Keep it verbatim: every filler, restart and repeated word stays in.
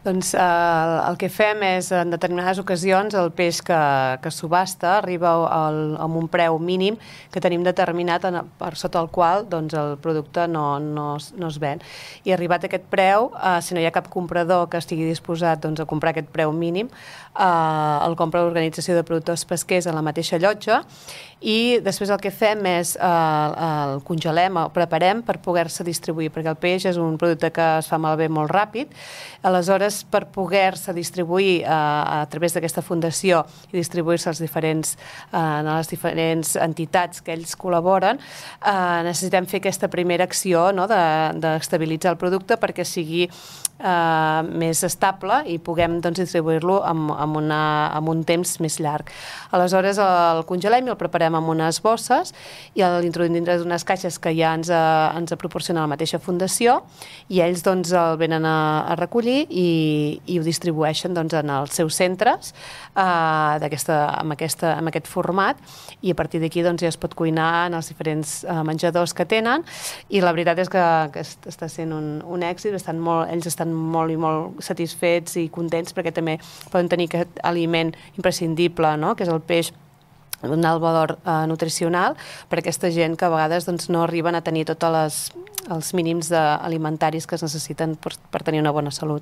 Doncs eh, el que fem és, en determinades ocasions, el peix que, que subhasta arriba al, amb un preu mínim que tenim determinat en, per sota el qual doncs, el producte no, no, es, no es ven. I arribat a aquest preu, eh, si no hi ha cap comprador que estigui disposat doncs, a comprar aquest preu mínim, eh, el compra l'Organització de Productors Pesquers a la mateixa llotja i després el que fem és eh, el congelem, el preparem per poder-se distribuir, perquè el peix és un producte que es fa malbé molt ràpid. Aleshores, per poder-se distribuir eh, a través d'aquesta fundació i distribuir-se als diferents, eh, a les diferents entitats que ells col·laboren, eh, necessitem fer aquesta primera acció, no?, d'estabilitzar el producte perquè sigui eh, més estable i puguem doncs, distribuir-lo amb, amb, una, amb un temps més llarg. Aleshores el congelem i el preparem amb unes bosses i l'introduïm dintre d'unes caixes que ja ens, a, ens proporciona la mateixa fundació i ells doncs, el venen a, a recollir i i ho distribueixen doncs, en els seus centres eh, amb, aquesta, amb aquest format i a partir d'aquí doncs, ja es pot cuinar en els diferents eh, menjadors que tenen i la veritat és que, que està sent un, un èxit, estan molt, ells estan molt i molt satisfets i contents perquè també poden tenir aquest aliment imprescindible, no?, que és el peix, un alt valor eh, nutricional per a aquesta gent que a vegades doncs, no arriben a tenir tots els mínims alimentaris que es necessiten per, per tenir una bona salut.